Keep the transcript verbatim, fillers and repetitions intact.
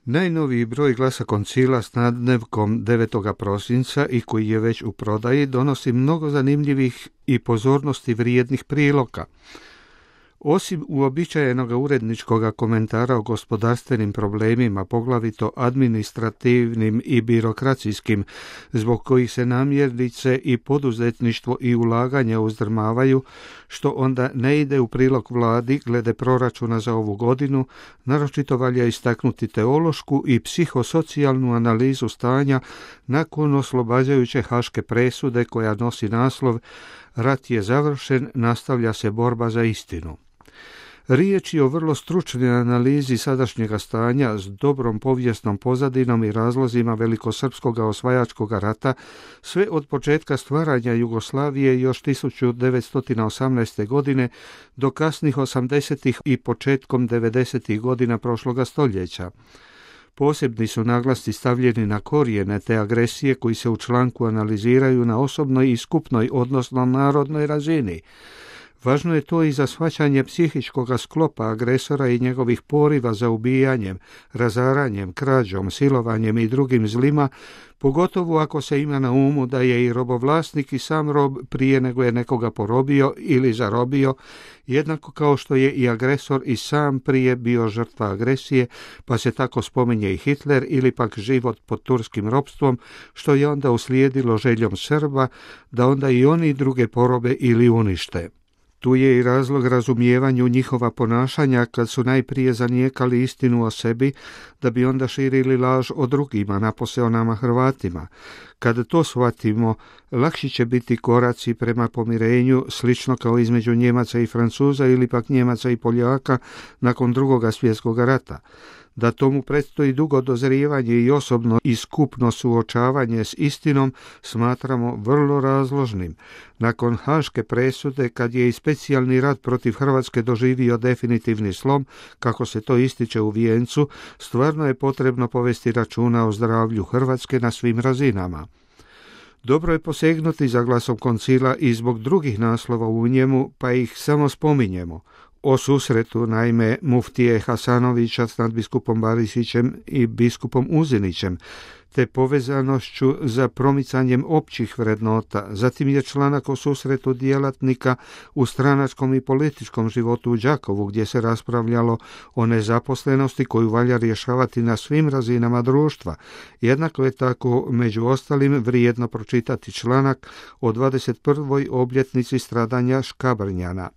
Najnoviji broj Glasa koncila s nadnevkom devetog prosinca i koji je već u prodaji donosi mnogo zanimljivih i pozornosti vrijednih priloga. Osim uobičajenog uredničkog komentara o gospodarstvenim problemima, poglavito administrativnim i birokracijskim, zbog kojih se namjernice i poduzetništvo i ulaganja uzdrmavaju, što onda ne ide u prilog vladi glede proračuna za ovu godinu, naročito valja istaknuti teološku i psihosocijalnu analizu stanja nakon oslobađajuće haške presude koja nosi naslov "Rat je završen, nastavlja se borba za istinu". Riječ je o vrlo stručnoj analizi sadašnjega stanja s dobrom povijesnom pozadinom i razlozima velikosrpskog osvajačkog rata, sve od početka stvaranja Jugoslavije još tisuću devetsto osamnaeste. godine do kasnih osamdesetih i početkom devedesetih godina prošloga stoljeća. Posebni su naglasci stavljeni na korijene te agresije koji se u članku analiziraju na osobnoj i skupnoj, odnosno narodnoj razini. Važno je to i za shvaćanje psihičkog sklopa agresora i njegovih poriva za ubijanjem, razaranjem, krađom, silovanjem i drugim zlima, pogotovo ako se ima na umu da je i robovlasnik i sam rob prije nego je nekoga porobio ili zarobio, jednako kao što je i agresor i sam prije bio žrtva agresije, pa se tako spominje i Hitler ili pak život pod turskim ropstvom, što je onda uslijedilo željom Srba da onda i oni druge porobe ili unište. Tu je i razlog razumijevanju njihova ponašanja kad su najprije zanijekali istinu o sebi, da bi onda širili laž o drugima, napose o nama Hrvatima. Kada to shvatimo, lakši će biti koraci prema pomirenju, slično kao između Njemaca i Francuza ili pak Njemaca i Poljaka nakon drugoga svjetskog rata. Da tomu predstoji dugo dozrijevanje i osobno i skupno suočavanje s istinom smatramo vrlo razložnim. Nakon haške presude, kad je i specijalni rat protiv Hrvatske doživio definitivni slom, kako se to ističe u vijencu, stvarno je potrebno povesti računa o zdravlju Hrvatske na svim razinama. Dobro je posegnuti za Glasom koncila i zbog drugih naslova u njemu, pa ih samo spominjemo. O susretu, naime, muftije Hasanovića s nadbiskupom Barisićem i biskupom Uzinićem, te povezanošću za promicanjem općih vrednota. Zatim je članak o susretu djelatnika u stranačkom i političkom životu u Đakovu, gdje se raspravljalo o nezaposlenosti koju valja rješavati na svim razinama društva. Jednako je tako, među ostalim, vrijedno pročitati članak o dvadeset prvoj obljetnici stradanja Škabrnjana.